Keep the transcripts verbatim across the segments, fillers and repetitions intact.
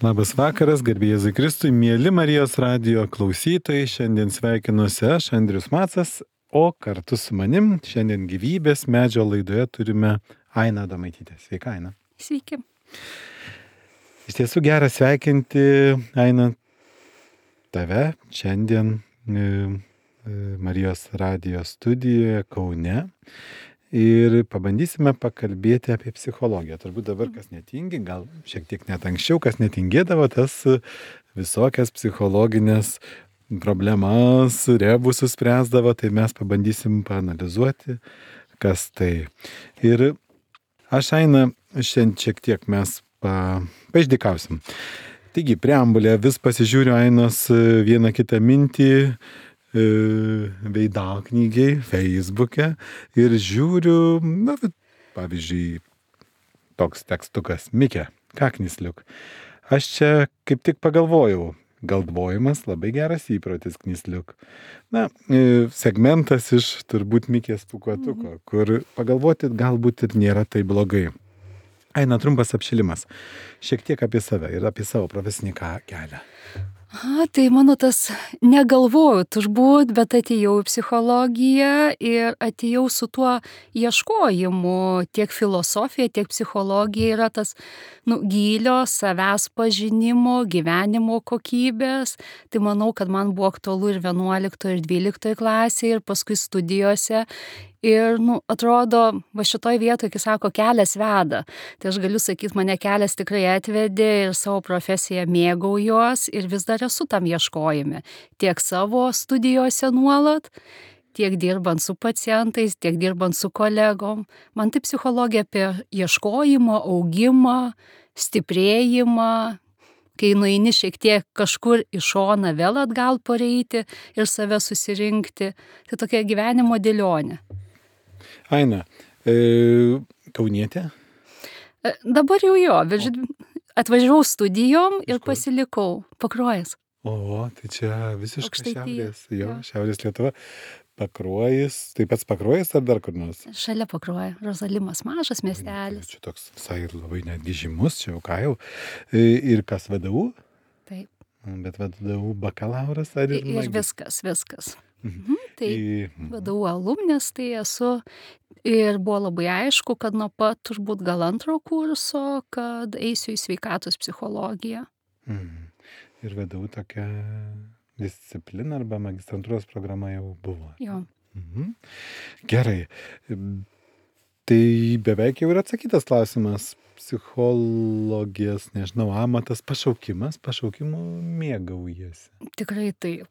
Labas vakaras, garbė Jėzui Kristui, mėly Marijos radijo klausytojai. Šiandien sveikinuosi aš, Andrius Macas, o kartu su manim šiandien gyvybės medžio laidoje turime Ainą Adomaitytę. Sveika, Aina. Sveiki. Iš tiesų gera sveikinti, Aina, tave šiandien Marijos radijo studijoje Kaune. Ir pabandysime pakalbėti apie psichologiją. Turbūt dabar kas netingi, gal šiek tiek net anksčiau, kas netingėdavo, tas visokias psichologinės problemas, rebusus spręsdavo, tai mes pabandysim paanalizuoti, kas tai. Ir aš, Aina, šiandien šiek tiek mes pa, paišdykausim. Taigi, preambulė vis pasižiūriu Ainos vieną kitą mintį, veidaknygiai, Facebook'e ir žiūriu, na, pavyzdžiui, toks tekstukas, Mikė, kaknisliuk. Aš čia kaip tik pagalvojau, galvojimas labai geras įprotis, knisliuk. Na, segmentas iš turbūt Mikės pūkuotuko, kur pagalvoti galbūt ir nėra tai blogai. Aina, trumpas apšilimas. Šiek tiek apie save ir apie savo profesinį kelią. A, tai mano tas negalvojau turbūt, bet atėjau į psichologiją ir atėjau su tuo ieškojimu. Tiek filosofija, tiek psichologija yra tas nu, gylio, savęs pažinimo, gyvenimo kokybės. Tai manau, kad man buvo aktualu ir vienuoliktoje, ir dvyliktoje klasėje, ir paskui studijose. Ir, nu, atrodo, va šitoj vietoje, kai sako, kelias veda, tai aš galiu sakyti, mane kelias tikrai atvedė ir savo profesiją mėgaujuos ir vis dar esu tam ieškojime. Tiek savo studijose nuolat, tiek dirbant su pacientais, tiek dirbant su kolegom. Man tai psichologija apie ieškojimą, augimą, stiprėjimą, kai nueini šiek tiek kažkur į šoną vėl atgal pareiti ir save susirinkti. Tai tokia gyvenimo dėlionė. Aina, e, kaunietė? Dabar jau jo, bet atvažiavau studijom ir pasilikau. Pakruojas. O, tai čia visiškai Aukštaitija. šiaurės, jo, Jo. šiaurės Lietuva. Pakruojas, taip pats Pakruojas ar dar kur nors? Šalia Pakruoja. Rozalimas, mažas miestelis. Čia toks visai labai netgi žymus, čia jau ką jau. E, Ir kas V D U? Taip. Bet V D U bakalauras ar ir Ir magistras? viskas, viskas. Mhm. Tai Į- V D U alumnis, tai esu. Ir buvo labai aišku, kad nuo pat turbūt gal antro kurso, kad eisiu į sveikatos psichologiją. Mhm. Ir V D U tokia disciplina arba magistrantūros programa jau buvo. Jo. Mhm. Gerai. Tai beveik jau yra atsakytas klausimas. Psichologijos, nežinau, amatas, pašaukimas, pašaukimu mėgaujasi. Tikrai taip.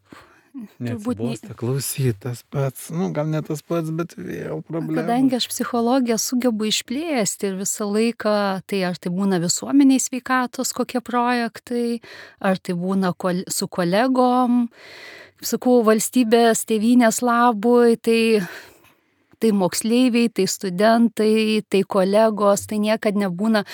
Turbūt nei- Neatsibosta klausyt tas pats, nu gal ne tas pats, bet vėl problema. Kadangi aš psichologiją sugebu išplėsti ir visą laiką, tai ar tai būna visuomeniai sveikatos kokie projektai, ar tai būna kol, su kolegom, sakau, valstybės tėvynės labui, tai, tai moksleiviai, tai studentai, tai kolegos, tai niekad nebūna,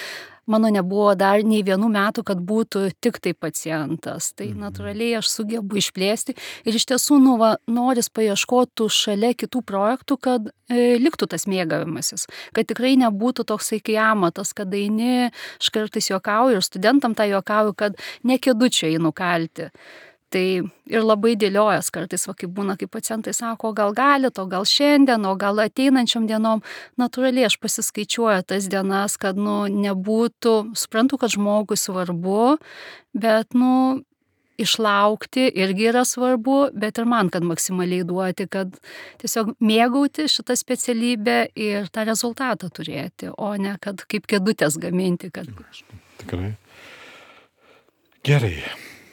mano nebuvo dar nei vienų metų, kad būtų tik tai pacientas. Tai natūraliai aš sugebu išplėsti ir iš tiesų nu, va, noris paieškotų šalia kitų projektų, kad e, liktų tas mėgavimasis, kad tikrai nebūtų toksai kai amatas, kad eini, aš kartais juokauju ir studentam tą juokauju, kad ne kėdučiai nukalti. Tai ir labai dėliojas kartais, va, kaip būna, kai pacientai sako, gal galit, o gal šiandien, o gal ateinančiom dienom. Natūraliai aš pasiskaičiuoju tas dienas, kad nu, nebūtų, suprantu, kad žmogui svarbu, bet nu, išlaukti irgi yra svarbu, bet ir man, kad maksimaliai duoti, kad tiesiog mėgauti šitą specialybę ir tą rezultatą turėti, o ne kad kaip kėdutės gaminti. Kad... Tikrai. Gerai.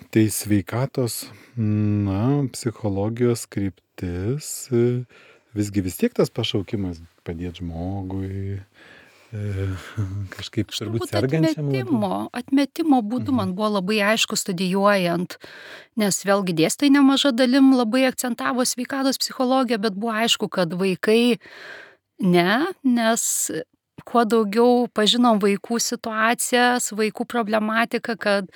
Tai sveikatos, na, psichologijos kryptis, visgi vis tiek tas pašaukimas padėti žmogui, kažkaip turbūt sergančiam. Atmetimo, atmetimo būdu man buvo labai aišku studijuojant, nes vėlgi dėstytojai nemaža dalim labai akcentavo sveikatos psichologiją, bet buvo aišku, kad vaikai ne, nes kuo daugiau pažinom vaikų situacijas, vaikų problematiką, kad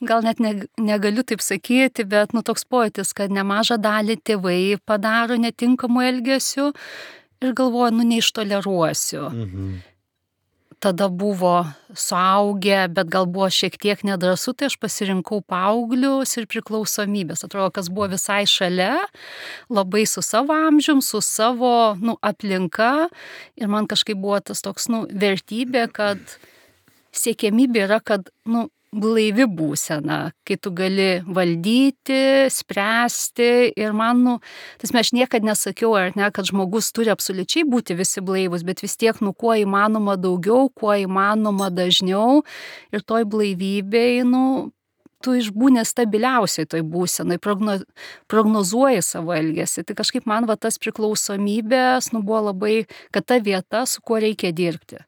gal net ne, negaliu taip sakyti, bet nu toks pojūtis, kad nemažą dalį tėvai padaro netinkamų elgesių ir galvoju, nu neištoleruosiu. Mhm. tada buvo suaugę, bet gal buvo šiek tiek nedrąsu, tai aš pasirinkau paauglius ir priklausomybės. Atrodo, kas buvo visai šalia, labai su savo amžium, su savo nu, aplinka. Ir man kažkaip buvo tas toks nu, vertybė, kad siekiamybė yra, kad nu, blaivi būsena, kai tu gali valdyti, spręsti ir man, nu, tas aš niekad nesakiau, ar ne, kad žmogus turi absoliučiai būti visi blaivus, bet vis tiek, nu, kuo įmanoma daugiau, kuo įmanoma dažniau ir toj blaivybėj, nu, tu išbūni stabiliausiai toj būsenai, progno, prognozuoji savo elgesį. Tai kažkaip man va tas priklausomybės, nu, buvo labai, kad ta vieta, su kuo reikia dirbti.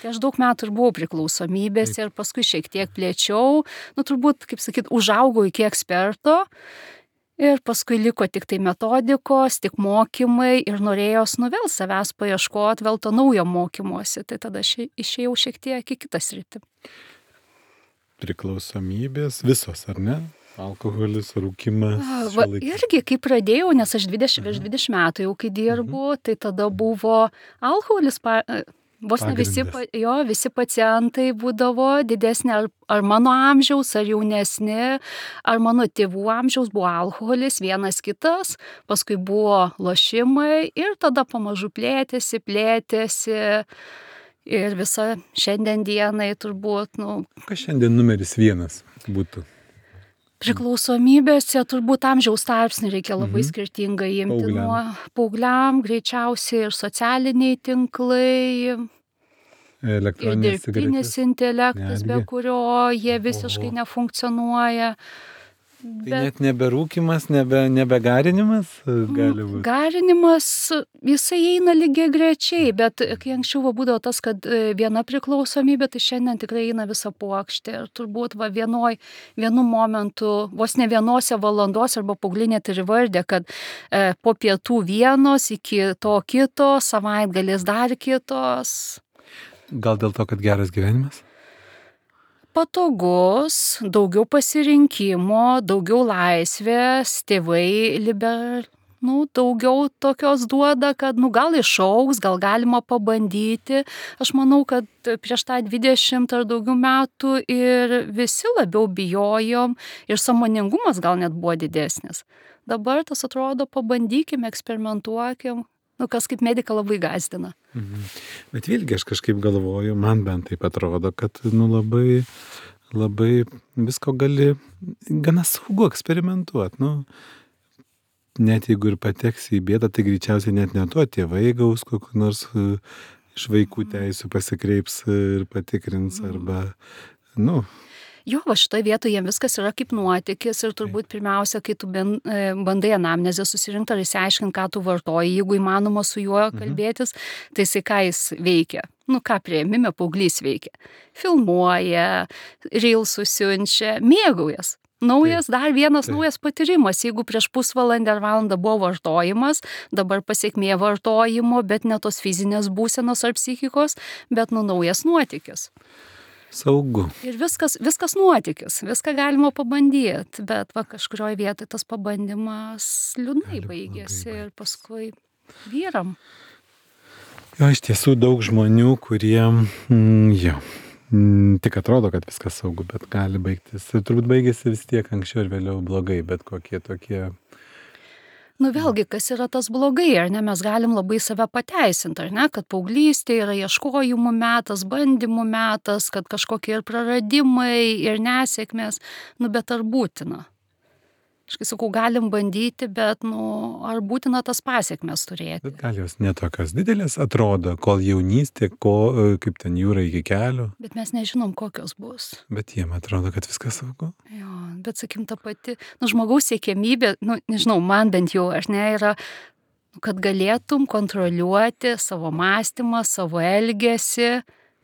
Tai aš daug metų ir buvau priklausomybės ir paskui šiek tiek plėčiau, nu turbūt, kaip sakyt, užaugau iki eksperto ir paskui liko tik tai metodikos, tik mokymai ir norėjos nu vėl savęs paieškoti, vėl to naujo mokymosi, tai tada aš išėjau šiek tiek į kitą sritį. Priklausomybės visos, ar ne? Alkoholis, rūkimas. Va, irgi, kai pradėjau, nes aš dvidešimt, virš dvidešimt metų jau kai dirbu, mhm. tai tada buvo alkoholis, pa, vos ne visi, jo, visi pacientai būdavo didesnė ar, ar mano amžiaus, ar jaunesni, ar mano tėvų amžiaus buvo alkoholis, vienas kitas, paskui buvo lošimai ir tada pamažu plėtėsi, plėtėsi ir visa šiandien dienai turbūt, nu... Kas šiandien numeris vienas būtų? Priklausomybėse turbūt amžiaus tarpsnį reikia labai mhm. skirtingai imti. Paaugliam. Nuo paaugliam greičiausiai ir socialiniai tinklai, ir dirbtinis intelektas, netgi. Be kurio jie visiškai Oho. Nefunkcionuoja. Bet... Tai net neberūkimas, nebe, nebegarinimas gali būti? Garinimas, jisai eina lygiai grečiai, bet kai anksčiau va, būdavo tas, kad viena priklausomybė, tai šiandien tikrai eina visa puokštė. Ir turbūt va, vienoj, vienu momentu, vos ne vienose valandos arba paaugliai net ir įvardė, kad e, po pietų vienos, iki to kito, savaitgalės dar kitos. Gal dėl to, kad geras gyvenimas? Patogus, daugiau pasirinkimo, daugiau laisvės, tėvai liber, nu, daugiau tokios duoda, kad nu, gal išaugs, gal galima pabandyti. Aš manau, kad prieš tą dvidešimt ar daugiau metų ir visi labiau bijojom ir sąmoningumas gal net buvo didesnis. Dabar tas atrodo, pabandykim, eksperimentuokim. Nu, kas kaip medika labai gąsdina. Mhm. Bet vėlgi aš kažkaip galvoju, man bent taip atrodo, kad nu, labai, labai visko gali gana saugu eksperimentuoti. Nu, net jeigu ir pateksi į bėdą, tai greičiausiai net ne tuo tėvai gaus kokiu nors iš vaikų teisų pasikreips ir patikrins arba, nu... Jo, va šitoje vietoje jiems viskas yra kaip nuotykis ir turbūt pirmiausia, kai tu bandai anamnezę susirinkti ar įsiaiškinti, ką tu vartoji, jeigu įmanoma su juo kalbėtis, mhm. tai jisai ką jis veikia. Nu, ką priėmime paauglys veikia. Filmuoja, reelsus siunčia, mėgaujas. Naujas, dar vienas Taip. Naujas patyrimas. Jeigu prieš pusvalandį ar valandą buvo vartojimas, dabar pasiekmė vartojimo, bet ne tos fizinės būsenos ar psichikos, bet nu naujas nuotykis. Saugu. Ir viskas, viskas nuotykis, viską galima pabandyti, bet va kažkurioje vietoje tas pabandymas liūdnai baigėsi ir paskui vyram. Jo, iš tiesų daug žmonių, kurie, mm, jo, mm, tik atrodo, kad viskas saugu, bet gali baigtis. Ir turbūt baigėsi vis tiek anksčiau ir vėliau blogai, bet kokie tokie... Nu vėlgi, kas yra tas blogai, ar ne, mes galim labai save pateisinti, ar ne, kad paauglystė yra ieškojimų metas, bandymų metas, kad kažkokie ir praradimai, ir nesėkmės, nu bet ar būtina? Aš kai sakau, galim bandyti, bet, nu, ar būtina tas pasiekmes turėti? Bet gal jos netokios didelės atrodo, kol jaunystė, ko, kaip ten jūra iki kelių. Bet mes nežinom, kokios bus. Bet jiem atrodo, kad viskas saugu. Jo, bet sakim, ta pati, nu, žmogaus siekiamybė, nu, nežinau, man bent jau, aš ne, yra, kad galėtum kontroliuoti savo mąstymą, savo elgesį,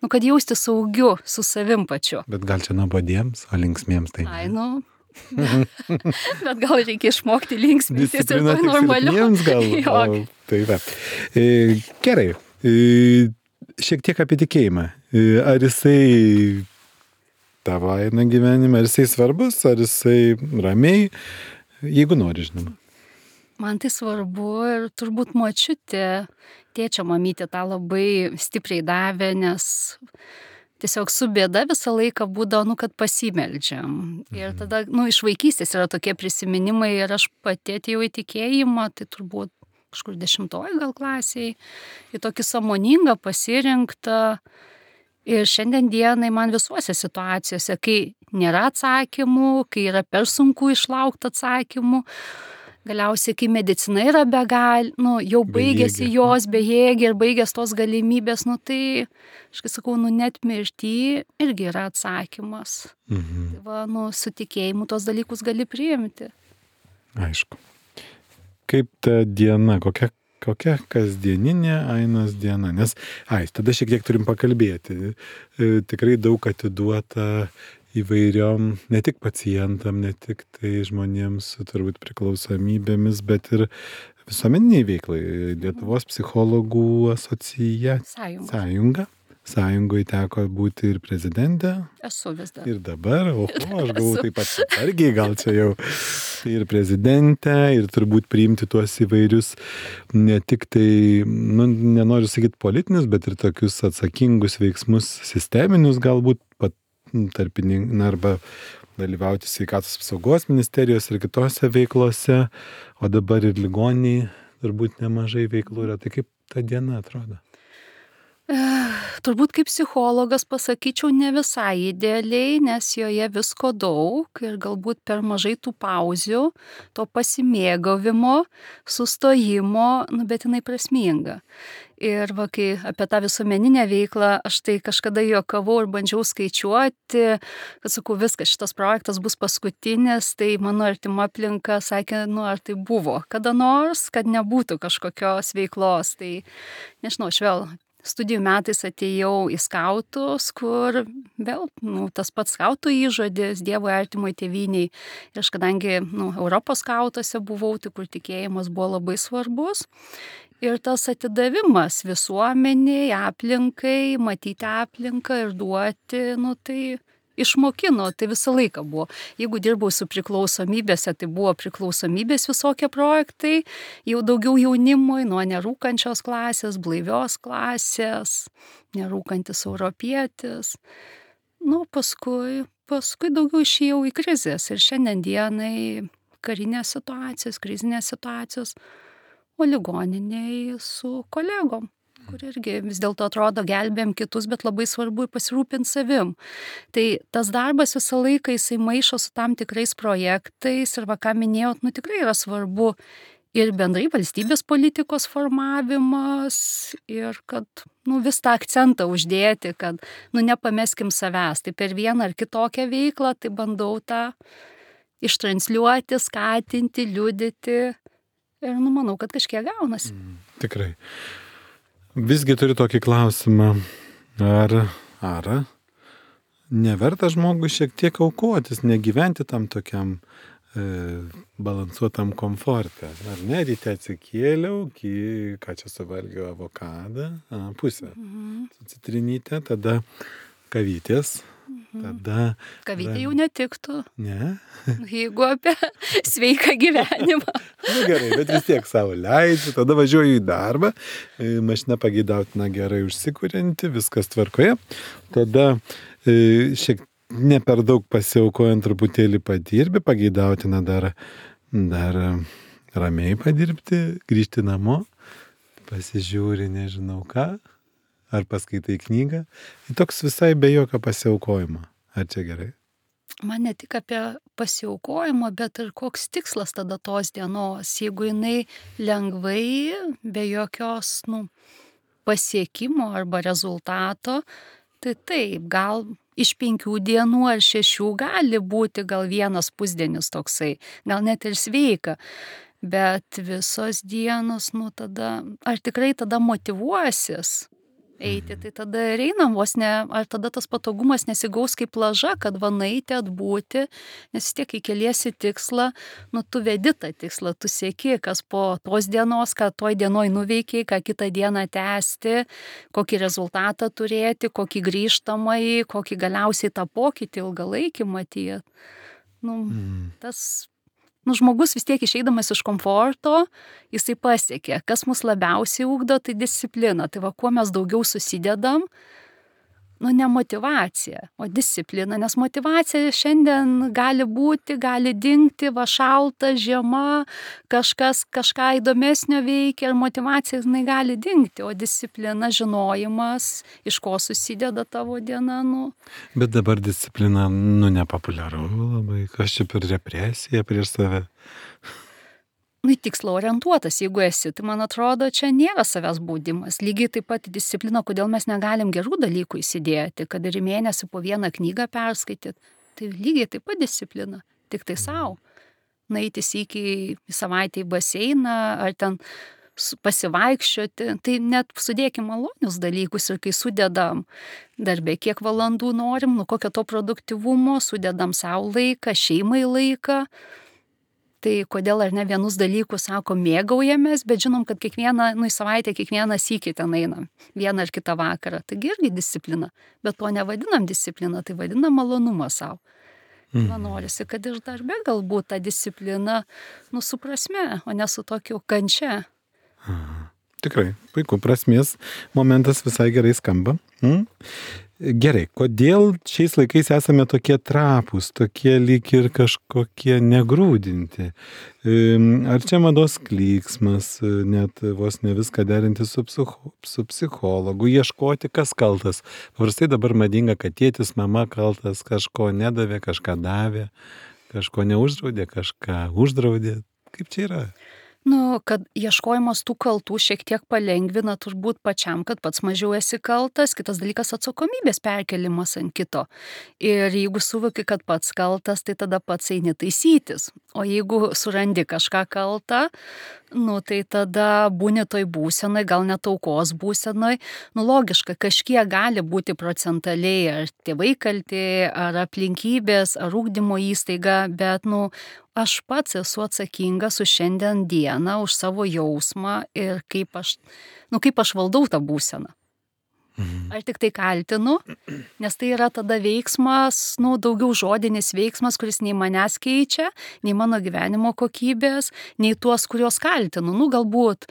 nu, kad jausti saugiu su savim pačiu. Bet gal čia nuobodiems, o linksmiems tai... Ai, nu... Bet gal reikia išmokti linksmintis ir to normaliu. Gal, o, tai va. E, gerai. E, šiek tiek apie tikėjimą. E, ar jisai tavo eina gyvenime, ar jisai svarbus, ar jisai ramiai, jeigu nori, žinoma. Man tai svarbu ir turbūt močiutė, tėčio mamytė tą labai stipriai davė, nes tiesiog su bėda visą laiką būdavo, nu, kad pasimeldžiam. Ir tada, nu, iš vaikystės yra tokie prisiminimai ir aš pati atėjau į tikėjimą, tai turbūt kažkur dešimtoj gal klasiai, į tokį sąmoningą pasirinktą. Ir šiandien dienai man visuose situacijose, kai nėra atsakymų, kai yra per sunku išlaukti atsakymų, galiausiai, kai medicina yra begal, nu, jau baigėsi Bejėgė. jos bejėgė ir baigės tos galimybės, nu, tai, aš kai sakau, nu, net mirtį irgi yra atsakymas. Mhm. Tai va, nu, su tikėjimu tos dalykus gali priimti. Aišku. Kaip ta diena, kokia, kokia kasdieninė Ainos diena? Nes, ai, tada šiek tiek turim pakalbėti. E, tikrai daug atiduota įvairiom, ne tik pacientam, ne tik tai žmonėms su turbūt priklausomybėmis, bet ir visuomeniniai veiklai. Lietuvos psichologų asociacija. Sąjunga. Sąjunga. Sąjungoje teko būti ir prezidentė. Esu vis dar. Ir dabar, o, aš galvoju taip pat atsargiai, gal čia jau ir prezidentė, ir turbūt priimti tuos įvairius, ne tik tai, nu, nenoriu sakyti politinius, bet ir tokius atsakingus veiksmus sisteminius galbūt pat tarpininkai, arba dalyvauti sveikatos apsaugos ministerijos ir kitose veiklose, o dabar ir ligoniai turbūt nemažai veiklų yra. Tai kaip ta diena atrodo? Turbūt kaip psichologas pasakyčiau ne visai idealiai, nes joje visko daug ir galbūt per mažai tų pauzių, to pasimėgavimo, sustojimo, nu, bet jinai prasminga. Ir va, kai apie tą visuomeninę veiklą, aš tai kažkada juokavau ir bandžiau skaičiuoti, kad sakau, viskas, šitas projektas bus paskutinis, tai mano artima aplinka sakė, nu, ar tai buvo kada nors, kad nebūtų kažkokios veiklos. Tai, nežinau, aš vėl studijų metais atėjau į skautus, kur vėl, nu, tas pats skautų įžodis, Dievui artimui tėvyniai. Ir aš kadangi, nu, Europos skautuose buvau, tai kur tikėjimas buvo labai svarbus. Ir tas atidavimas visuomeniai, aplinkai, matyti aplinką ir duoti, nu, tai išmokino, tai visą laiką buvo. Jeigu dirbau su priklausomybėse, tai buvo priklausomybės visokie projektai, jau daugiau jaunimui, nuo nerūkančios klasės, blaivios klasės, nerūkantis europietis. Nu, paskui, paskui daugiau išėjau į krizės ir šiandien dienai karinės situacijos, krizinės situacijos, o ligoniniai su kolegom, kur irgi vis dėlto atrodo gelbėjom kitus, bet labai svarbu pasirūpinti savim. Tai tas darbas visą laiką jisai maišo su tam tikrais projektais ir va ką minėjot, nu tikrai yra svarbu ir bendrai valstybės politikos formavimas ir kad, nu, vis tą akcentą uždėti, kad, nu, nepameskim savęs. Tai per vieną ar kitokią veiklą, tai bandau tą ištransliuoti, skatinti, liudyti ir, nu, manau, kad kažkiek gaunasi. Mm, tikrai. Visgi turiu tokį klausimą, ar, ar neverta žmogui šiek tiek aukotis, negyventi tam tokiam e, balansuotam komforte. Ar ne, ryte atsikėliau, ki, ką čia suvalgiau, avokadą, a, pusę, Mhm. su citrinyte, tada kavytės, tada... Kavytė jau netiktų, Ne? jeigu apie sveiką gyvenimą. Nu gerai, bet vis tiek savo leidžiu, tada važiuoju į darbą, e, mašina pageidautina gerai užsikurianti, viskas tvarkoje, tada e, šiek ne per daug pasiaukojant truputėlį padirbi, pageidautina dar, dar ramiai padirbti, grįžti namo, pasižiūri nežinau ką, ar paskaitai knygą, tai toks visai be jokio pasiaukojimo. Ar čia gerai? Man ne tik apie pasiaukojimą, bet ir koks tikslas tada tos dienos. Jeigu jinai lengvai, be jokios, nu, pasiekimo arba rezultato, tai taip, gal iš penkių dienų ar šešių gali būti gal vienas pusdienis toksai, gal net ir sveika. Bet visos dienos, nu tada, ar tikrai tada motyvuosis eiti, tai tada ir einam vos ne, ar tada tas patogumas nesigaus kaip plaža, kad va nueiti, atbūti, nes vis tiek, kai keliesi tikslą, nu tu vedi tą tikslą, tu sieki, kas po tos dienos, ką toj dienoj nuveikiai, ką kitą dieną tęsti, kokį rezultatą turėti, kokį grįžtamąjį, kokį galiausiai tą pokytį ilgalaikį matyti. Nu, Mm. tas Nu, žmogus vis tiek išeidamas iš komforto, jisai pasiekia. Kas mus labiausiai ugdo, tai disciplina. Tai va, kuo mes daugiau susidedam, nu, ne motyvacija, o disciplina, nes motyvacija šiandien gali būti, gali dingti, va šalta, žiema, kažkas kažką įdomesnio veikia ir motyvacija jinai gali dingti, o disciplina, žinojimas, iš ko susideda tavo diena, nu. Bet dabar disciplina, nu, nepopuliaru labai, kas čia per represiją prieš save. Nu, tikslo orientuotas, jeigu esi, tai man atrodo, čia nėra savęs baudimas. Lygiai taip pat disciplina, kodėl mes negalim gerų dalykų įsidėti, kad ir į mėnesį po vieną knygą perskaityti. Tai lygiai taip pat disciplina, tik tai savo. Nueiti sykį į savaitę į baseiną, ar ten pasivaikščioti, tai net sudėkim malonius dalykus ir kai sudedam darbę, kiek valandų norim, nu kokio to produktyvumo, sudedam savo laiką, šeimai laiką. Tai kodėl ar ne vienus dalykus, sako, mėgaujamės, bet žinom, kad kiekvieną, nu, į savaitę kiekvieną sykį ten einam, vieną ar kitą vakarą. Taigi irgi disciplina, bet to nevadinam disciplina, tai vadinam malonumą savo. Mm. Man norisi, kad ir darbe galbūt ta disciplina, nu, su prasme, o ne su tokiu kančia. Aha. Tikrai, puiku, prasmės momentas visai gerai skamba. Mm? Gerai, kodėl šiais laikais esame tokie trapūs, tokie lyg ir kažkokie negrūdinti? Ar čia mados klyksmas, net vos ne viską derinti su, psicho, su psichologu, ieškoti, kas kaltas? Paprastai dabar madinga, kad tėtis, mama kaltas, kažko nedavė, kažką davė, kažko neuždraudė, kažką uždraudė. Kaip čia yra? Nu, kad ieškojimas tų kaltų šiek tiek palengvina turbūt pačiam, kad pats mažiau esi kaltas, kitas dalykas atsakomybės perkelimas ant kito. Ir jeigu suvoki, kad pats kaltas, tai tada pats eini taisytis. O jeigu surandi kažką kaltą, nu, tai tada būni toj būsenai, gal net aukos būsenai. Nu, logiška, kažkiek gali būti procentaliai, ar tėvai kalti, ar aplinkybės, ar ugdymo įstaiga, bet, nu, aš pats esu atsakingas už šiandien dieną, už savo jausmą ir kaip aš, nu, kaip aš valdau tą būseną. Ar tik tai kaltinu, nes tai yra tada veiksmas, nu, daugiau žodinis veiksmas, kuris nei manęs keičia, nei mano gyvenimo kokybės, nei tuos, kuriuos kaltinu. Nu, galbūt,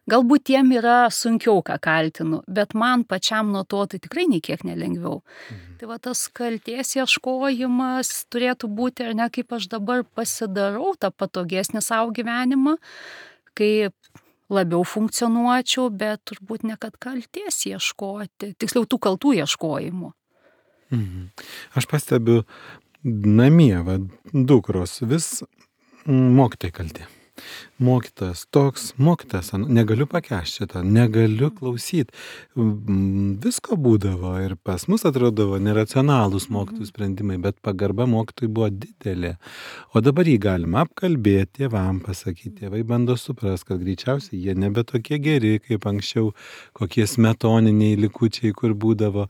galbūt tiem yra sunkiau, ką kaltinu, bet man pačiam nuo to tai tikrai nei kiek nelengviau. Mhm. Tai va tas kaltės ieškojimas turėtų būti, ar ne, kaip aš dabar pasidarau tą patogesnį savo gyvenimą, kaip labiau funkcionuočiau, bet turbūt ne kad kaltės ieškoti, tiksliau tų kaltų ieškojimų. Mhm. Aš pastebiu namie, va, dukros vis mokytojai kalti. Mokytas toks, mokytas, negaliu pakęsti šitą, negaliu klausyti. Visko būdavo ir pas mus atrodavo neracionalūs mokytojų sprendimai, bet pagarba mokytojai buvo didelė. O dabar jį galima apkalbėti, tėvam pasakyti, tėvai bando supras, kad greičiausiai jie nebe tokie geri, kaip anksčiau, kokie smetoniniai likučiai, kur būdavo.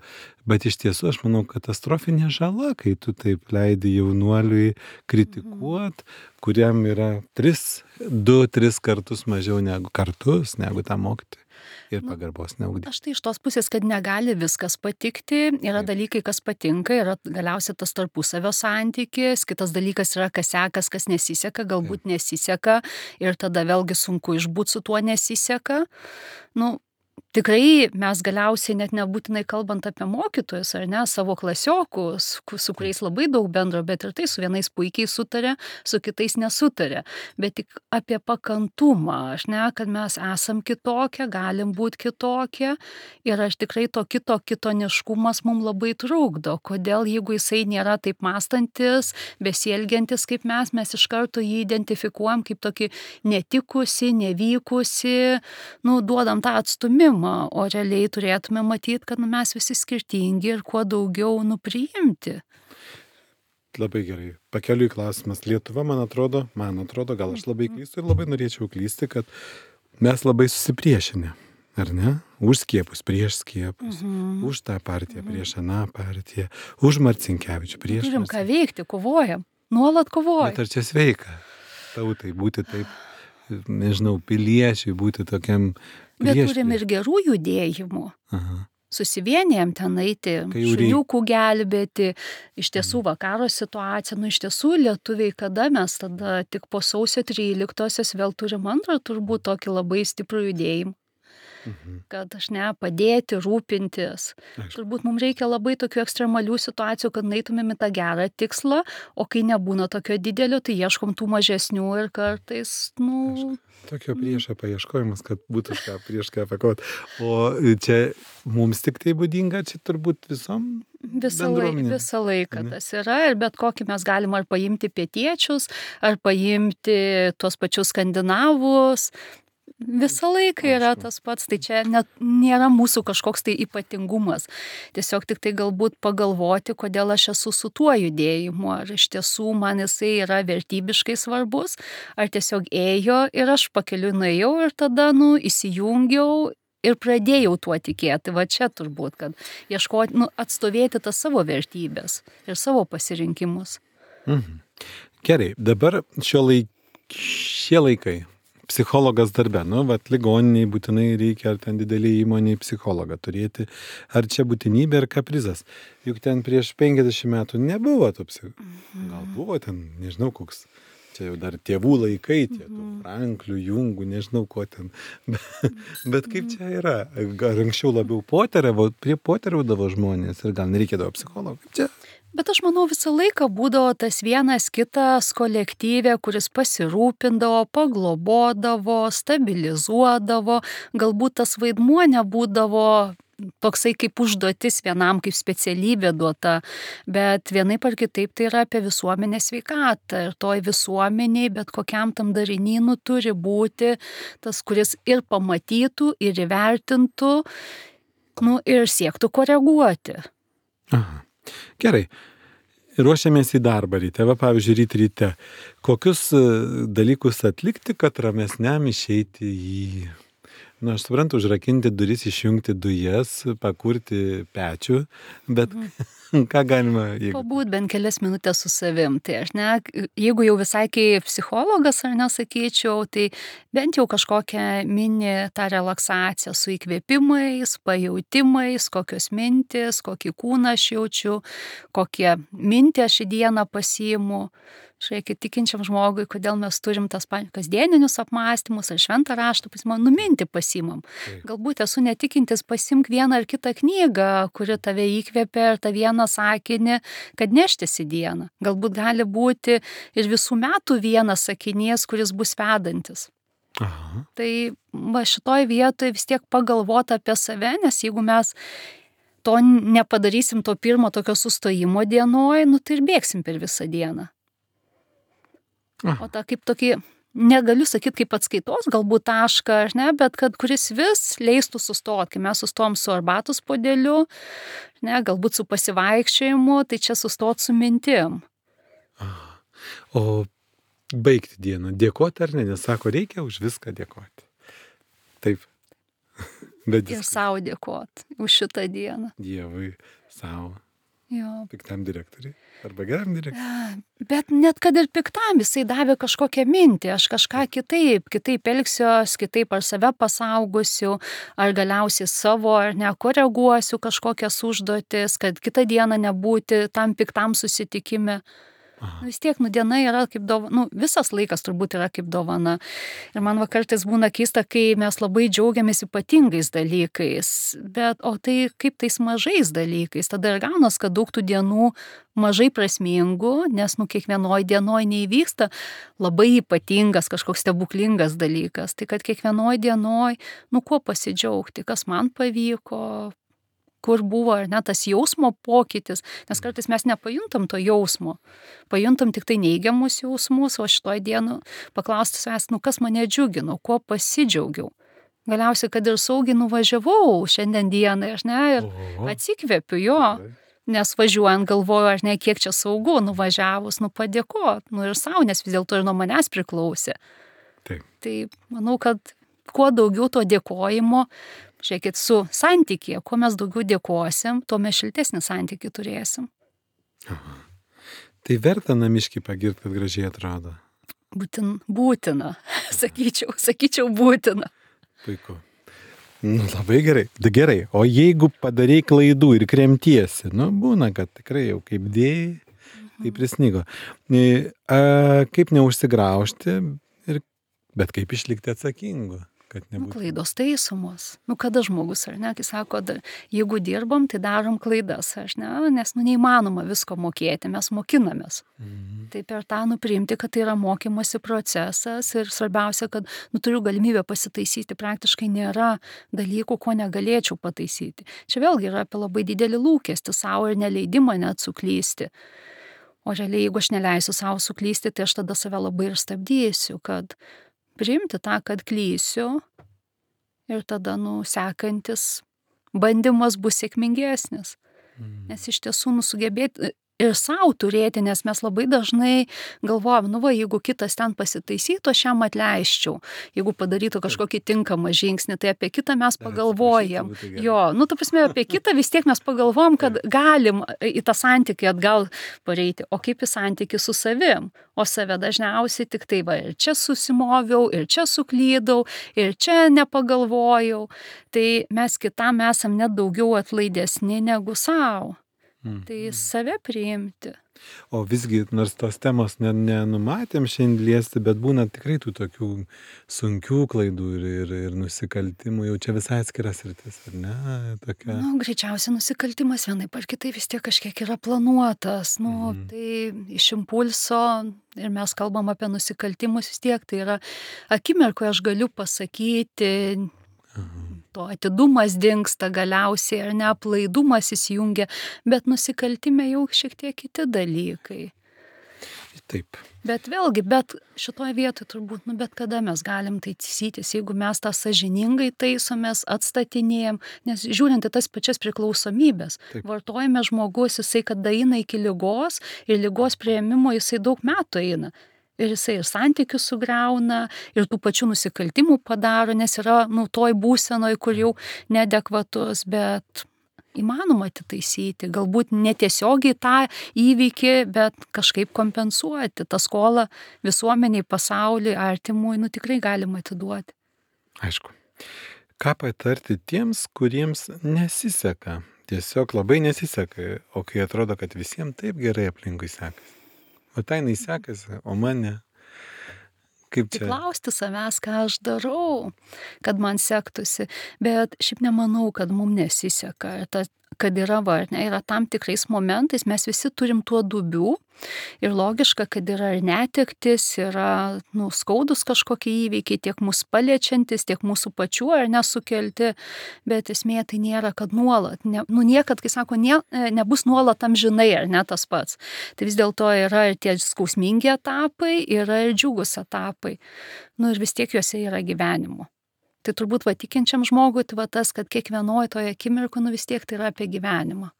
Bet iš tiesų, aš manau, katastrofinė žala, kai tu taip leidi jaunuoliui kritikuot, kuriam yra tris, du, tris kartus mažiau negu kartus, negu tą mokytojai. Ir pagarbos neugdyti. Aš tai iš tos pusės, kad negali viskas patikti, yra dalykai, kas patinka, yra galiausiai tas tarpusavio santykis, kitas dalykas yra, kas sekas, kas nesiseka, galbūt nesiseka ir tada vėlgi sunku išbūt su tuo nesiseka. Nu, tikrai mes galiausiai net nebūtinai kalbant apie mokytojus, ar ne, savo klasiokus, su kuriais labai daug bendro, bet ir tai su vienais puikiai sutarė, su kitais nesutarė. Bet tik apie pakantumą, aš ne, kad mes esam kitokie, galim būti kitokie ir aš tikrai to kito kitoniškumas mums labai trukdo. Kodėl, jeigu jisai nėra taip mąstantis, besielgiantis kaip mes, mes iš karto jį identifikuojam kaip tokį netikusi, nevykusi, nu, duodam tą atstumimą. O realiai turėtume matyti, kad nu, mes visi skirtingi ir kuo daugiau nupriimti. Labai gerai. Pakeliui klausimas. Lietuva, man atrodo, man atrodo, gal aš labai klystu ir labai norėčiau klysti, kad mes labai susipriešinę, ar ne? Už skiepus, prieš skiepus, mhm. už tą partiją, mhm. prieš aną partiją, už Marcinkevičių, prieš... Turim ką veikti, kovojam, nuolat kovojam. Bet ar čia sveika tautai būti taip, nežinau, piliečiui būti tokiam... Bet turim ir gerų judėjimų. Aha. susivienijam ten eiti, Kai jau reik- šuniukų gelbėti, iš tiesų va karo situacija, nu iš tiesų lietuviai, kada mes tada tik po sausio tryliktosios vėl turim antrą turbūt tokį labai stiprų judėjimą, Mhm. kad aš ne, padėti, rūpintis. Aišku. Turbūt mums reikia labai tokių ekstremalių situacijų, kad eitumėm į tą gerą tikslą, o kai nebūna tokio didelio, tai ieškom tų mažesnių ir kartais, nu, Tokio priešo paieškojimas, kad būtų ką prieš ką pakot. O čia mums tik tai būdinga, čia turbūt visom Visą, laik, bendruomenėm. visą laiką Ane? tas yra ir bet kokį mes galim ar paimti pietiečius, ar paimti tuos pačius skandinavus. Visą laiką yra Aišku. tas pats, tai čia net nėra mūsų kažkoks tai ypatingumas. Tiesiog tik tai galbūt pagalvoti, kodėl aš esu su tuo judėjimu, ar iš tiesų man jisai yra vertybiškai svarbus, ar tiesiog ėjo ir aš pakeliu nuėjau ir tada, nu, įsijungiau ir pradėjau tuo tikėti. Va čia turbūt, kad ieškoti, nu, atstovėti tas savo vertybės ir savo pasirinkimus. Mhm. Gerai, dabar šio laik, šie laikai. Psichologas darbe, nu, vat ligoniniai būtinai reikia, ar ten didelį įmonį psichologą turėti, ar čia būtinybė, ar kaprizas. Juk ten prieš penkiasdešimt metų nebuvo tų psichologų. Gal buvo ten, nežinau, koks, čia jau dar tėvų laikai, tie tų Franklių, Jungų, nežinau ko ten. Bet, bet kaip čia yra? Gal anksčiau labiau poteriavo, prie poteriaudavo žmonės ir gal nereikėdavo psichologo. Kaip čia? Bet aš manau, visą laiką būdavo tas vienas kitas kolektyvė, kuris pasirūpindavo, paglobodavo, stabilizuodavo, galbūt tas vaidmuo nebūdavo toksai kaip užduotis vienam, kaip specialybė duota, bet vienaip ar kitaip tai yra apie visuomenės sveikatą ir toj visuomeniai, bet kokiam tam darinynų turi būti tas, kuris ir pamatytų, ir įvertintų, nu, ir siektų koreguoti. Aha. Gerai. Ruošiamės į darbą ryte, va pavyzdžiui, ryt ryte. Kokius e, dalykus atlikti, kad ramesniam išeiti į... Na, aš suprantu, užrakinti duris, išjungti dujas, pakurti pečių, bet ką galima... Jeigu... Pabūt bent kelias minutės su savim. Tai aš ne, jeigu jau visai kaip psichologas, ar nesakyčiau, tai bent jau kažkokią mini tą relaksaciją su įkvėpimais, pajautimais, kokios mintis, kokį kūną aš jaučiu, kokie mintį aš į dieną pasiimu. Žiūrėkit, tikinčiam žmogui, kodėl mes turim tas kasdieninius apmąstymus ar šventą raštą pasimam, numinti pasimam. Galbūt esu netikintis, pasimk vieną ar kitą knygą, kuri tave įkvėpia ir tą vieną sakinį, kad neštis į dieną. Galbūt gali būti ir visų metų vienas sakinys, kuris bus vedantis. Aha. Tai va šitoj vietoje vis tiek pagalvoti apie save, nes jeigu mes to nepadarysim to pirmo tokio sustojimo dienoj, nu tai ir bėgsim per visą dieną. Aha. O tą kaip tokį, negaliu sakyti kaip atskaitos, galbūt tašką, ar ne, bet kad kuris vis leistų sustoti, kai mes sustojom su arbatos puodeliu, ne, galbūt su pasivaikščiojimu, tai čia sustot su mintim. Aha. O baigti dieną, dėkoti ar ne, nes sako, reikia už viską dėkoti. Taip. Bet Ir savo dėkoti už šitą dieną. Dievui, savo. Jo. Piktam direktoriui. Arba geram direktoriui. Bet net kad ir piktam, jisai davė kažkokią mintį, aš kažką kitaip, kitaip elgsiuos, kitaip ar save pasaugosiu, ar galiausiai savo, ar nekoreguosiu kažkokias užduotis, kad kitą dieną nebūti tam piktam susitikime. Aha. Vis tiek, nu, diena yra kaip dovana, nu, visas laikas turbūt yra kaip dovana. Ir man va kartais būna keista, kai mes labai džiaugiamės ypatingais dalykais, bet o tai kaip tais mažais dalykais, tada ir gaunas, kad daug tų dienų mažai prasmingų, nes, nu, kiekvienoj dienoj neįvyksta labai ypatingas kažkoks stebuklingas dalykas, tai kad kiekvienoj dienoj, nu, kuo pasidžiaugti, kas man pavyko, kur buvo, ar ne, tas jausmo pokytis, nes kartais mes nepajuntam to jausmo, pajuntam tik tai neigiamus jausmus, o šitoj dienu paklausti savęs, nu kas mane džiugino, kuo pasidžiaugiau. Galiausiai, kad ir saugiai nuvažiavau šiandien dienai, aš ne, ir Oho. atsikvėpiu jo, nes važiuojant galvoju, aš ne, kiek čia saugu, nuvažiavus, nu padėkot, nu ir savo, nes vis dėlto ir nuo manęs priklausė. Taip. Tai manau, kad kuo daugiau to dėkojimo, žiūrėkit, su santykė, kuo mes daugiau dėkosim, tuo mes šiltesnį santykį turėsim. Aha. Tai verta namiškį pagirti, kad gražiai atrodo. Būtin, būtina, sakyčiau, sakyčiau būtina. Puiku. Nu, labai gerai. Da gerai. O jeigu padarai klaidų ir kremtiesi, nu, būna, kad tikrai jau kaip dėjai, tai prisnygo. E, A, kaip neužsigraužti, ir, bet kaip išlikti atsakingu, kad Nu, nebūtų. klaidos taisomos. Nu, kada žmogus, ar ne, kai sako, da, jeigu dirbam, tai darom klaidas, ar ne, nes, nu, neįmanoma visko mokėti, mes mokinamės. Mhm. Tai per tą nupriimti, kad tai yra mokymosi procesas ir svarbiausia, kad nu, turiu galimybę pasitaisyti, praktiškai nėra dalykų, ko negalėčiau pataisyti. Čia vėlgi yra apie labai didelį lūkestį savo ir neleidimą net suklysti. O realiai, jeigu aš neleisiu savo suklysti, tai aš tada save labai ir stabdysiu, kad priimti tą, kad klysiu ir tada, nu, sekantis bandymas bus sėkmingesnis. Nes iš tiesų, nu, sugebėti ir savo turėti, nes mes labai dažnai galvojam, nu va, jeigu kitas ten pasitaisytų, aš jam atleisčiau. Jeigu padarytų kažkokį tinkamą žingsnį, tai apie kitą mes pagalvojam. Jo, nu, ta prasme, apie kitą vis tiek mes pagalvojam, kad galim į tą santykį atgal pareiti. O kaip į santykį su savim? O save dažniausiai tik tai, va, ir čia susimoviau, ir čia suklydau, ir čia nepagalvojau. Tai mes kitam esam net daugiau atlaidesni negu savo. Mhm. Tai save priimti. O visgi, nors tos temos ne- nenumatėm šiandien liesti, bet būna tikrai tų tokių sunkių klaidų ir, ir, ir nusikaltimų, jau čia visai atskiras rytis, ar ne? Tokia. Nu, greičiausiai nusikaltimas vienaip ar kitai vis tiek kažkiek yra planuotas. Nu, Mhm. tai iš impulso ir mes kalbam apie nusikaltimus vis tiek. Tai yra akimirkoje aš galiu pasakyti, Aha. to atidumas dingsta galiausiai ar neaplaidumas įsijungia, bet nusikaltime jau šiek tiek kiti dalykai. Taip. Bet vėlgi, bet šitoje vietoje turbūt, nu, bet kada mes galim taisytis, jeigu mes tą sąžiningai taisomės, atstatinėjom, nes žiūrint į tas pačias priklausomybės, Taip. vartojame žmogus, jisai kada eina iki ligos ir ligos prieimimo jisai daug metų eina. Ir jisai ir santykius sugriauna, ir tų pačių nusikaltimų padaro, nes yra, nu, toj būsenoj, kur jau neadekvatus, bet įmanoma atitaisyti, galbūt netiesiogiai tą įvykį, bet kažkaip kompensuoti tą skolą visuomeniai, pasauliui, artimui, nu, tikrai galima atiduoti. Aišku. Ką patarti tiems, kuriems nesiseka? Tiesiog labai nesiseka, o kai atrodo, kad visiems taip gerai aplinkui sekasi. O tai jinai sekasi, o man ne. Kaip Tai čia? klausti savęs, ką aš darau, kad man sektųsi, bet šiaip nemanau, kad mums nesiseka. Ir ta, kad yra, va, ne, yra tam tikrais momentais, mes visi turim tuo dubių ir logiška, kad yra ir netektis, yra, nu, skaudus kažkokie įvykiai, tiek mūsų paliečiantis, tiek mūsų pačių ar nesukelti, bet esmė tai nėra, kad nuolat, ne, nu, niekad, kai sako, ne, nebus nuolat amžinai, ar ne tas pats. Tai vis dėlto yra ir tie skausmingi etapai, yra ir džiugus etapai. Nu, ir vis tiek juose yra gyvenimo. Tai turbūt va tikinčiam žmogui, tai va tas, kad kiekvienoje toje akimirkoje, nu, vis tiek tai yra apie gyvenimą.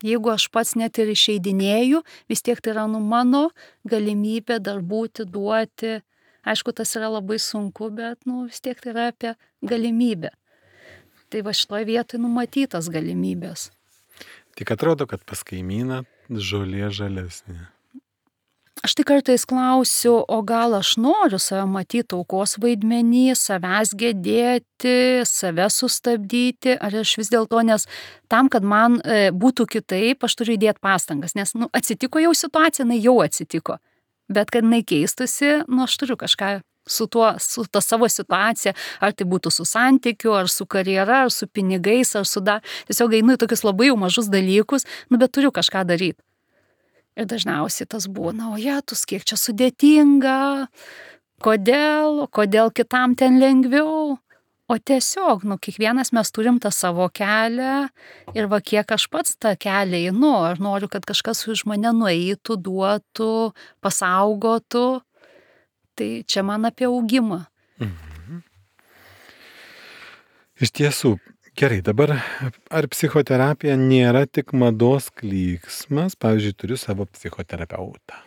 Jeigu aš pats net ir išeidinėju, vis tiek tai yra, nu, mano galimybė dar būti, duoti. Aišku, tas yra labai sunku, bet, nu, vis tiek tai yra apie galimybę. Tai va šitoje vietoje numatytas galimybės. Tik atrodo, kad pas kaimyną žolė žalesnė. Aš tik kartais klausiu, o gal aš noriu save matyti aukos vaidmenį, savęs gedėti, save sustabdyti, ar aš vis dėlto, nes tam, kad man e, būtų kitaip, aš turiu įdėti pastangas, nes, nu, atsitiko jau situacija, jinai jau atsitiko, bet kad jinai keistusi, nu, aš turiu kažką su tuo, su ta savo situacija, ar tai būtų su santykiu, ar su karjera, ar su pinigais, ar su dar, tiesiog einu į tokius labai jau mažus dalykus, nu, bet turiu kažką daryti. Ir dažniausiai tas būna, o jetus, kiek čia sudėtinga, kodėl, kodėl kitam ten lengviau. O tiesiog, nu, kiekvienas mes turim tą savo kelią ir va kiek aš pats tą kelią einu, ar noriu, kad kažkas už mane nueitų, duotų, pasaugotų. Tai čia man apie augimą. Mhm. Iš tiesų, gerai, dabar ar psichoterapija nėra tik mados klyksmas? Pavyzdžiui, turiu savo psichoterapeutą.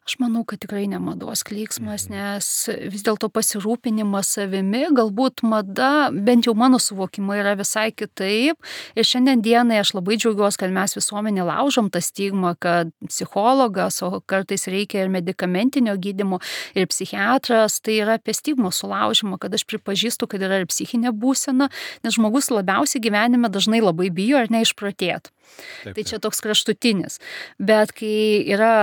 Aš manau, kad tikrai ne mados klyksmas, nes vis dėlto pasirūpinimas savimi, galbūt mada, bent jau mano suvokimai, yra visai kitaip. Ir šiandien dienai aš labai džiaugiuosi, kad mes visuomenė laužom tą stigmą, kad psichologas, o kartais reikia ir medikamentinio gydymo, ir psichiatras, tai yra apie stigmos sulaužymą, kad aš pripažįstu, kad yra ir psichinė būsena, nes žmogus labiausiai gyvenime dažnai labai bijo ar neišprotėtų. Tai čia toks kraštutinis. Bet kai yra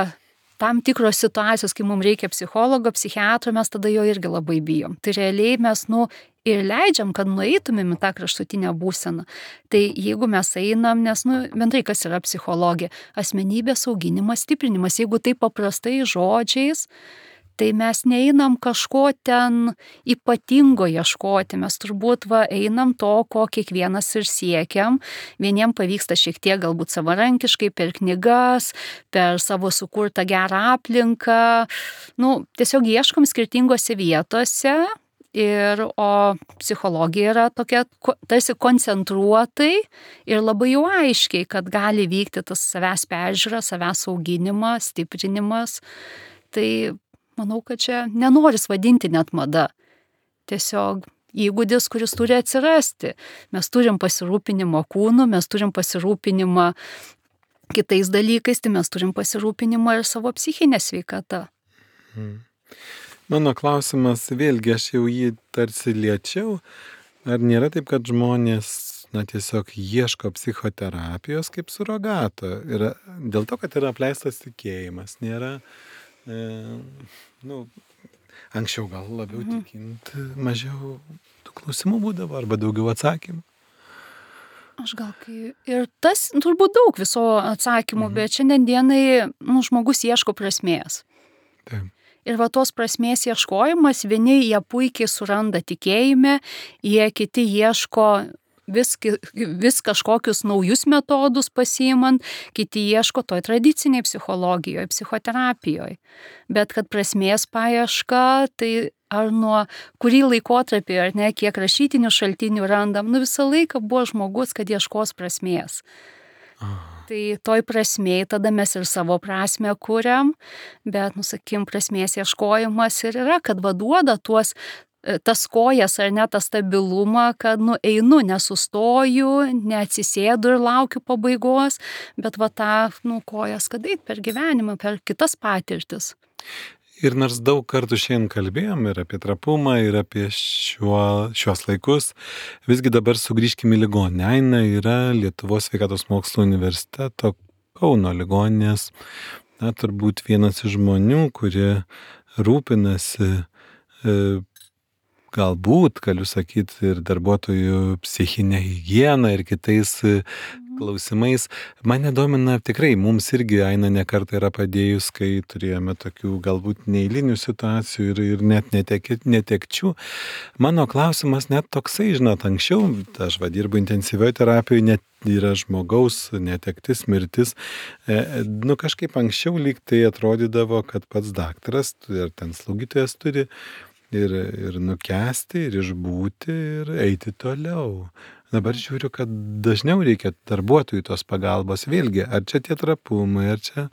tam tikros situacijos, kai mums reikia psichologo, psichiatro, mes tada jo irgi labai bijom. Tai realiai mes, nu, ir leidžiam, kad nueitumėm į tą kraštutinę būseną. Tai jeigu mes einam, nes, nu, bendrai kas yra psichologija, asmenybės auginimas, stiprinimas, jeigu tai paprastai žodžiais, tai mes neeinam kažko ten ypatingo ieškoti, mes turbūt va, einam to, ko kiekvienas ir siekiam. Vieniem pavyksta šiek tiek galbūt savarankiškai, per knygas, per savo sukurtą gerą aplinką. Nu, tiesiog ieškom skirtingose vietose. Ir, o psichologija yra tokia tarsi koncentruotai ir labai jau aiškiai, kad gali vykti tas savęs peržiūra, savęs auginimas, stiprinimas. Tai manau, kad čia nenoris vadinti net mada. Tiesiog įgūdis, kuris turi atsirasti. Mes turim pasirūpinimą kūnu, mes turim pasirūpinimą kitais dalykais, tai mes turim pasirūpinimą ir savo psichinę sveikatą. Hmm. Mano klausimas, vėlgi aš jau jį tarsi liečiau, ar nėra taip, kad žmonės na, tiesiog ieško psichoterapijos kaip surogato? Ir dėl to, kad yra apleistas tikėjimas, nėra E, nu, anksčiau gal labiau mhm. tikint, mažiau tų klausimų būdavo arba daugiau atsakymų. Aš gal kai... Ir tas turbūt daug viso atsakymų, mhm. bet šiandien dienai nu, žmogus ieško prasmės. Taip. Ir va tos prasmės ieškojimas, vieni jie puikiai suranda tikėjime, jie kiti ieško vis, vis kažkokius naujus metodus pasiimant, kiti ieško toj tradiciniai psichologijoje, psichoterapijoje. Bet kad prasmės paieška, tai ar nuo kurį laikotarpį, ar ne, kiek rašytinių šaltinių randam, nu visą laiką buvo žmogus, kad ieškos prasmės. Tai toj prasmėj tada mes ir savo prasmę kuriam, bet, nu sakim, prasmės ieškojimas ir yra, kad vaduoda tuos tas kojas ar ne tą stabilumą, kad nu einu, nesustoju, neatsisėdu ir laukiu pabaigos, bet va tą nu kojas, kad eit per gyvenimą, per kitas patirtis. Ir nors daug kartų šiandien kalbėjom ir apie trapumą, ir apie šiuo, šios laikus, visgi dabar sugrįžkime į ligoninę. Aina yra Lietuvos sveikatos mokslų universiteto Kauno ligoninės, na, turbūt vienas iš žmonių, kurie rūpinasi e, galbūt, galiu sakyti, ir darbuotojų psichinę higieną ir kitais klausimais. Mane domina tikrai, mums irgi Aina ne kartą yra padėjus, kai turėjome tokių galbūt neeilinių situacijų ir, ir net netek, netekčių. Mano klausimas net toksai, žinot, anksčiau, aš va dirbu intensyvioje terapijoje, net yra žmogaus netektis, mirtis. E, nu kažkaip anksčiau lyg tai atrodydavo, kad pats daktaras ir ten slaugytojas turi Ir, ir nukęsti, ir išbūti, ir eiti toliau. Dabar žiūriu, kad dažniau reikia darbuotojų tos pagalbos. Vėlgi, ar čia tie trapumai, ar čia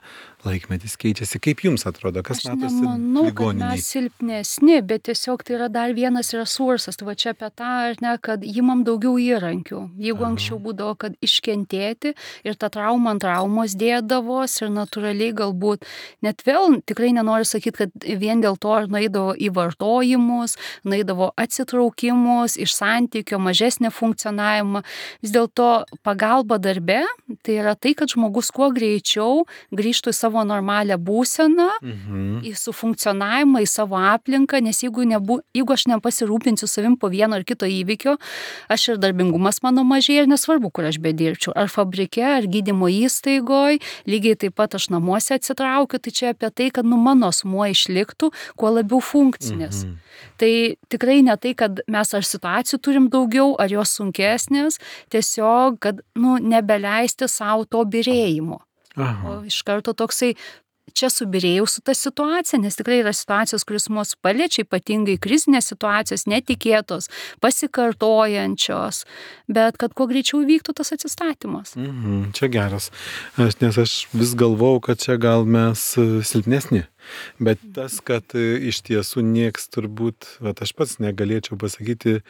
laikmetis keičiasi. Kaip jums atrodo, kas matosi ligoniniai? Aš nemanau, kad mes silpnesni, bet tiesiog tai yra dar vienas resursas. Tai va čia apie tą, ar ne, kad imam daugiau įrankių. Jeigu Aha. anksčiau būdavo, kad iškentėti ir tą traumą ant traumos dėdavos ir natūraliai galbūt, net vėl tikrai nenoriu sakyti, kad vien dėl to ar nueidavo į vartojimus, nueidavo atsitraukimus, iš santykio, mažesnė funkcionavimą. Vis dėlto pagalba darbe, tai yra tai, kad žmogus kuo greičiau grįžtų į savo normalią būseną, mhm. į sufunkcionavimą, į savo aplinką, nes jeigu, nebu, jeigu aš nepasirūpinsiu savim po vieno ar kito įvykio, aš ir darbingumas mano mažėja ir nesvarbu, kur aš bedirbčiau. Ar fabrike, ar gydymo įstaigoje, lygiai taip pat aš namuose atsitraukiu, tai čia apie tai, kad nu, mano asmuo išliktų kuo labiau funkcinis. Mhm. Tai tikrai ne tai, kad mes ar situacijų turim daugiau, ar jos sunkesnės, tiesiog, kad nu, nebeleisti savo to birėjimo. Aha. O iš karto toksai čia subirėjau su ta situacija, nes tikrai yra situacijos, kuris mus paliečia, ypatingai krizinės situacijos, netikėtos, pasikartojančios, bet kad kuo greičiau vyktų tas atsistatymas. Mhm, čia geras, aš, nes aš vis galvau, kad čia gal mes silpnesni, bet tas, kad iš tiesų nieks turbūt, vat aš pats negalėčiau pasakyti,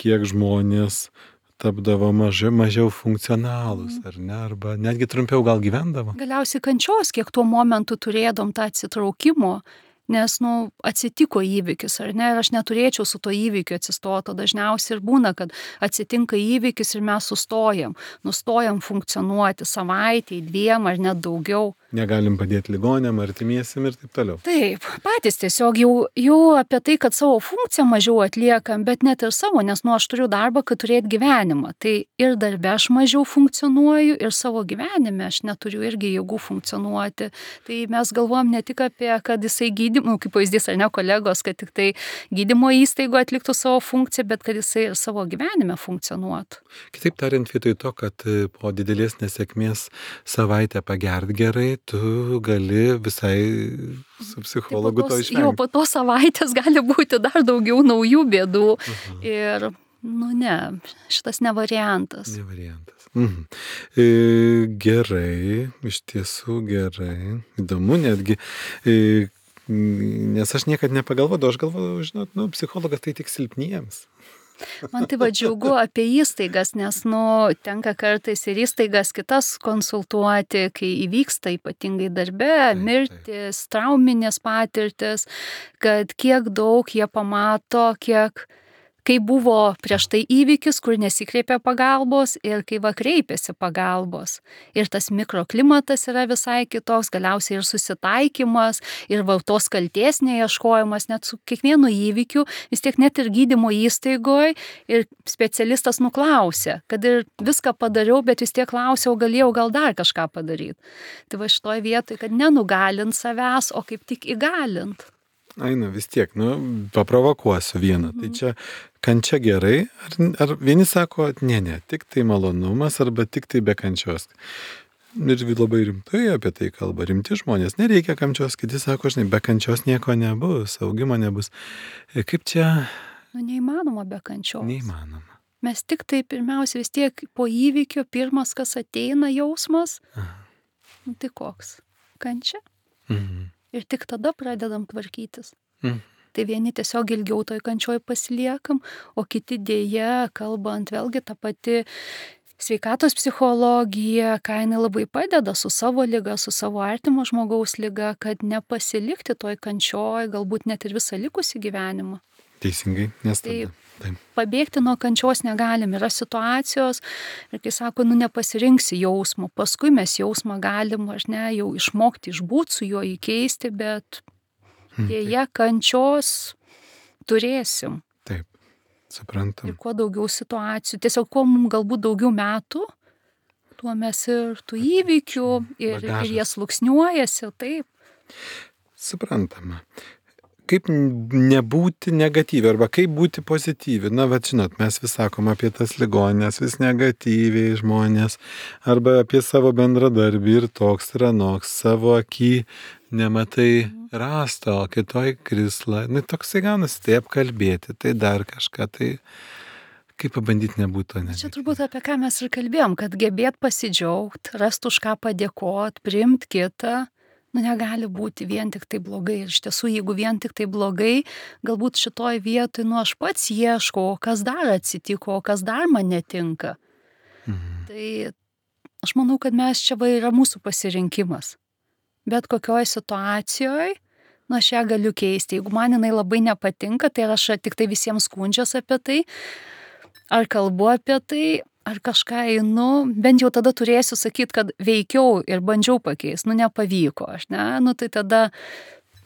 kiek žmonės tapdavo mažiau, mažiau funkcionalūs, ar ne, arba netgi trumpiau gal gyvendavo. Galiausiai kančios, kiek tuo momentu turėdom tą atsitraukimo, nes, nu, atsitiko įvykis, ar ne, ir aš neturėčiau su to įvykiu atsistoti, o dažniausiai ir būna, kad atsitinka įvykis ir mes sustojam, nustojam funkcionuoti savaitėj, dviem ar net daugiau. Negalim padėti ligonėm, artimiesiam ir taip toliau. Taip, patys tiesiog jau, jau apie tai, kad savo funkciją mažiau atliekam, bet net ir savo, nes, nu, aš turiu darbą, kad turėt gyvenimą. Tai ir darbe aš mažiau funkcionuoju, ir savo gyvenime aš neturiu irgi jėgų funkcionuoti. Tai mes galvojam ne tik apie, kad jisai gydymo, kaip pavyzdys, ar ne kolegos, kad tik tai gydymo įstaigo atliktų savo funkciją, bet kad jisai ir savo gyvenime funkcionuotų. Kitaip tariant, vietoj to, kad po didelės nesėkmės savaitę pagert gerai, tu gali visai su psichologu to išvengti. Jo, po to savaitės gali būti dar daugiau naujų bėdų. Uh-huh. Ir, nu ne, šitas ne variantas. Ne variantas. Mhm. E, gerai, iš tiesų gerai. Įdomu netgi. E, nes aš niekad nepagalvodavau, aš galvodavau, žinot, nu, psichologas tai tik silpniems. Man tai va džiaugu apie įstaigas, nes, nu, tenka kartais ir įstaigas kitas konsultuoti, kai įvyksta ypatingai darbe, mirtis, trauminės patirtis, kad kiek daug jie pamato, kiek, kai buvo prieš tai įvykis, kur nesikreipė pagalbos ir kai va kreipėsi pagalbos. Ir tas mikroklimatas yra visai kitoks, galiausiai ir susitaikymas, ir va tos kaltės neieškojimas, net su kiekvienu įvykiu, vis tiek net ir gydymo įstaigoje ir specialistas nuklausė, kad ir viską padariau, bet vis tiek klausiau, galėjau gal dar kažką padaryti. Tai va šitoj vietoj, kad nenugalint savęs, o kaip tik įgalint. Ai, nu vis tiek, nu, paprovokuosiu vieną. Mhm. Tai čia kančia gerai, ar, ar vieni sako, ne, ne, tik tai malonumas, arba tik tai be kančios. Ir labai rimtai apie tai kalba, rimti žmonės, nereikia kančios, kiti sako, žinai, be kančios nieko nebus, augimo nebus. Kaip čia? Nu, neįmanoma be kančios. Neįmanoma. Mes tik tai pirmiausia vis tiek po įvykio, pirmas, kas ateina jausmas, Aha. nu tai koks? Kančia? Mhm. Ir tik tada pradedam tvarkytis. Mm. Tai vieni tiesiog ilgiau toj kančioj pasiliekam, o kiti dėja, kalbant vėlgi tą pati sveikatos psichologija, ką jinai labai padeda su savo liga, su savo artimo žmogaus liga, kad nepasilikti toj kančioj, galbūt net ir visą likusį gyvenimą. Teisingai, nes tada. Tai Taip. Pabėgti nuo kančios negalim, yra situacijos ir kai sako, nu nepasirinksi jausmo, paskui mes jausmą galim, aš ne, jau išmokti išbūti su juo, įkeisti, bet dėja kančios turėsim. Taip, suprantam. Ir kuo daugiau situacijų, tiesiog kuo mums galbūt daugiau metų, tuo mes ir tų įvykių ir, ir jie sluoksniuojasi, taip. Suprantama. Kaip nebūti negatyvi, arba kaip būti pozityvi. Na, bet žinot, mes vis sakom apie tas ligonės, vis negatyviai žmonės, arba apie savo bendradarbį ir toks ir anoks, savo akį nematai rastą, o kitoj krislą. Na, toksai gaunasi, tai apkalbėti, tai dar kažką, tai kaip pabandyti nebūti to negatyvi. Čia turbūt apie ką mes ir kalbėjom, kad gebėt pasidžiaugt, rast už ką padėkot, priimt kitą. Nu, negali būti vien tik tai blogai. Ir iš tiesų, jeigu vien tik tai blogai, galbūt šitoj vietoj, nu, aš pats ieškau, kas dar atsitiko, kas dar man netinka. Mhm. Tai aš manau, kad mes čia va yra mūsų pasirinkimas. Bet kokioj situacijoje, nu, aš ją galiu keisti. Jeigu man jinai labai nepatinka, tai aš tik tai visiems skundžias apie tai, ar kalbu apie tai, ar kažką einu, bent jau tada turėsiu sakyti, kad veikiau ir bandžiau pakeisti, nu nepavyko, aš ne, nu tai tada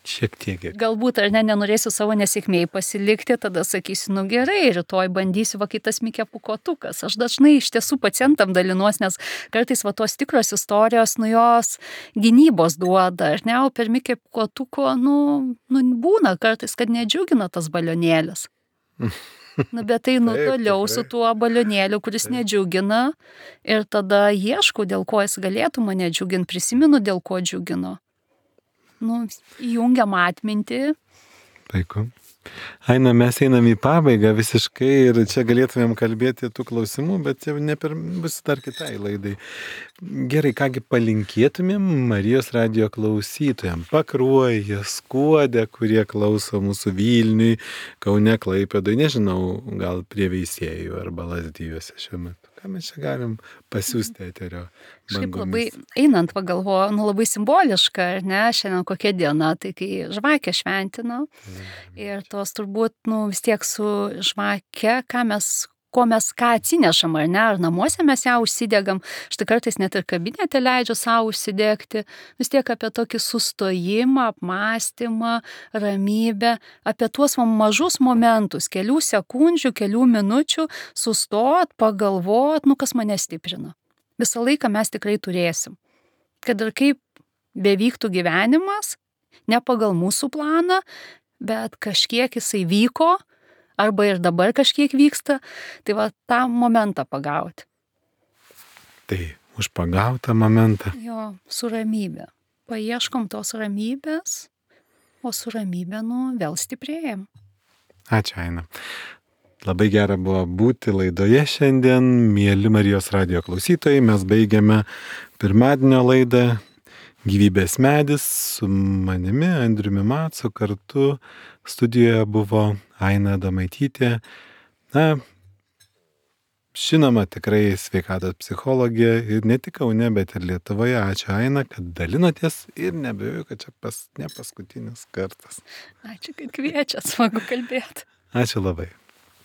šiek tiek. Galbūt ar ne, nenorėsiu savo nesėkmėj pasilikti, tada sakysiu, nu gerai, rytoj bandysiu va kitas Mikė Pūkuotukas. Aš dažnai iš tiesų pacientam dalinuos, nes kartais va tos tikros istorijos, nu jos gynybos duoda, ar ne, o per Mikė Pūkuotuko, nu, nu būna kartais, kad nedžiugina tas balionėlis. Nu, bet tai nu toliau su tuo balionėliu, kuris nedžiugina ir tada ieškau, dėl ko jis galėtų mane džiuginti, prisimenu, dėl ko džiugino. nu, įjungiam atmintį. Puiku. Aina, mes einam į pabaigą visiškai ir čia galėtumėm kalbėti tų klausimų, bet jau ne per, bus dar kitai laidai. Gerai, kągi palinkėtumėm Marijos radijo klausytojams, Pakruojyje, Skuode, kurie klauso mūsų Vilniui, Kaune, Klaipėdoje, nežinau, gal prie Veisiejų arba Lazdijuose šiuo metu. Ką mes čia galim pasiūsti eterio bangomis? Šiaip labai, einant pagalvoju, nu labai simboliška, ar ne, šiandien kokia diena, tai kai žvakę šventina. Ir tos turbūt, nu vis tiek su žvake, ką mes, ko mes ką atsinešam, ar ne, ar namuose mes ją užsidegam, štai kartais net ir kabinete leidžiu savo užsidegti, vis tiek apie tokį sustojimą, apmąstymą, ramybę, apie tuos mažus momentus, kelių sekundžių, kelių minučių, sustot, pagalvot, nu kas mane stiprina. Visą laiką mes tikrai turėsim. Kad ir kaip bevyktų gyvenimas, ne pagal mūsų planą, bet kažkiek jisai vyko, arba ir dabar kažkiek vyksta, tai va tą momentą pagauti. Tai už pagautą momentą. Jo, su ramybė. Paieškom tos ramybės, o su ramybė, nu, vėl stiprėjam. Ačiū, Aina. Labai gera buvo būti laidoje šiandien, mieli Marijos radijo klausytojai. Mes baigiame pirmadienio laidą Gyvybės medis su manimi, Andriumi Macu, kartu studijoje buvo Aina Adomaitytė. Na, žinoma, tikrai sveikatos psichologė ir ne tik Kaune, bet ir Lietuvoje. Ačiū, Aina, kad dalinotės ir nebejoju, kad čia pas, ne paskutinis kartas. Ačiū, kad kviečiat, smagu kalbėti. Ačiū labai.